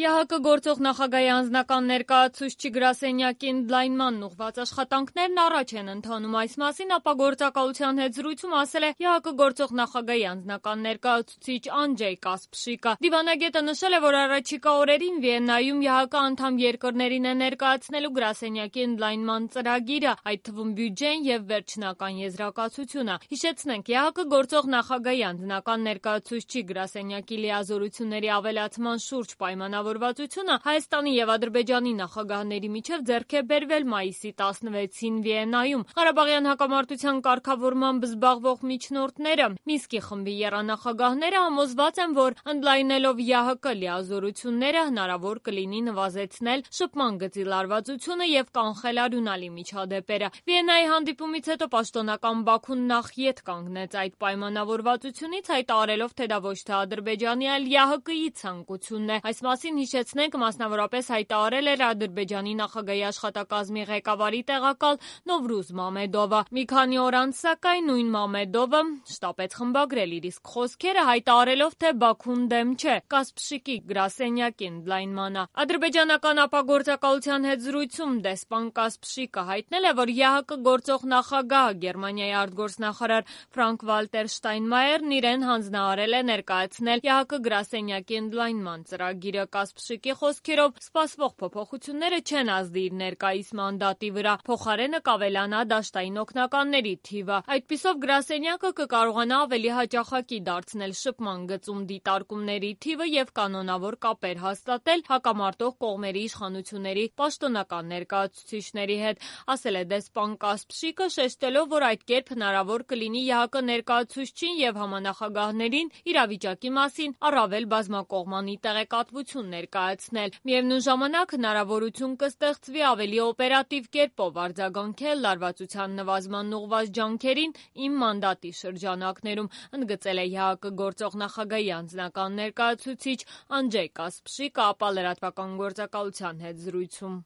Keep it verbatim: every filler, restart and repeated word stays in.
ԵԱՀԿ գործող նախագահի անձնական ներկայացուցչի գրասենյակի ընդլայնմանն ուղղված աշխատանքներն առաջ են ընթանում։ Այս մասին ապագործակալության հետ զրույցում ասել է ԵԱՀԿ գործող նախագահի անձնական ներկայացուցիչ Անջեյ Կասպշիկը։ Դիվանագետը նշել է, որ առաջիկա օրերին Վիեննայում ԵԱՀԿ անդամ երկրներին է ներկայացնելու գրասենյակի ընդլայնման ծրագիրը, այդ թվում բյուջեն եւ վերջնական եզրակացությունը։ Հիշեցնենք, ԵԱՀԿ գործող նախագահի անձնական ներկայացուցչի գրասենյակի լիազորությունների ավելացման շուրջ պայմանավորվածությունը Հայաստանի եւ Ադրբեջանի նախագահների միջև ձեռք է բերվել մայիսի տասնվեցին Վիեննայում։ Ղարաբաղյան հակամարտության կարգավորմամբ զբաղվող միջնորդները Մինսկի խմբի եռանախագահները համոզված են, որ ընդլայնելով ԵԱՀԿ լիազորությունները հնարավոր կլինի նվազեցնել շփման գծի լարվածությունը եւ կանխել արյունալի միջադեպերը։ Վիեննայի հանդիպումից հետո պաշտոնական Բաքուն նախ ետ կանգնեց այդ պայմանավորվածությունից, հայտարարելով, թե դա ոչ թե Ադրբեջանի, այլ ԵԱՀԿ-ի ցանկությունն է։ Այս մասին հիշեցնենք, մասնավորապես հայտարարել էր Ադրբեջանի նախագահի աշխատակազմի ղեկավարի տեղակալ Նովրուզ Մամեդովը։ Մի քանի օր անց, սակայն, նույն Մամեդովը շտապեց խմբագրել իր իսկ խոսքերը, հայտարարելով, թե Բաքուն դեմ չէ Կասպշիկի գրասենյակի ընդլայնմանը։ Ադրբեջանական ապագործակալության հետ զրույցում դեսպան Կասպշիկը հայտնել է, որ ԵԱՀԿ գործող նախագահը Գերմանիայի արտգործնախարար Ֆրանկ Վալտեր Շտայնմայերն իրեն հանձնարարել է ներկայացնել ԵԱՀԿ գրասենյակի ընդլայնման ծրագիրը։ Կասպշիկի խոսքերով, սպասվող փոփոխությունները չեն ազդի իր ներկայիս մանդատի վրա, փոխարենը կավելանա դաշտային օգնականների թիվը։ Այդպիսով գրասենյակը կկարողանա ավելի հաճախակի դարձնել շփման գծում դիտարկումների թիվը եւ կանոնավոր կապեր հաստատել հակամարտող կողմերի իշխանությունների պաշտոնական ներկայացուցիչների հետ, ասել է դեսպան Կասպշիկը, շեշտելով, որ այդ կերպ հնարավոր կլինի ԵԱՀԿ ներկայացուցչին եւ համանախագահներին իրավիճակի մասին առավել բազմակողմանի տեղեկատվություն ներկայացնել։ Միևնույն ժամանակ հնարավորություն կստեղծվի ավելի օպերատիվ կերպով արձագանքել լարվածության նվազման ուղղված ջանքերին իմ մանդատի շրջանակներում, ընդգծել է ԵԱՀԿ գործող նախագահի անձնական ներկայացուցիչ Անջեյ Կասպշիկը, ապա լրատվական գործակալության հետ զրույցում։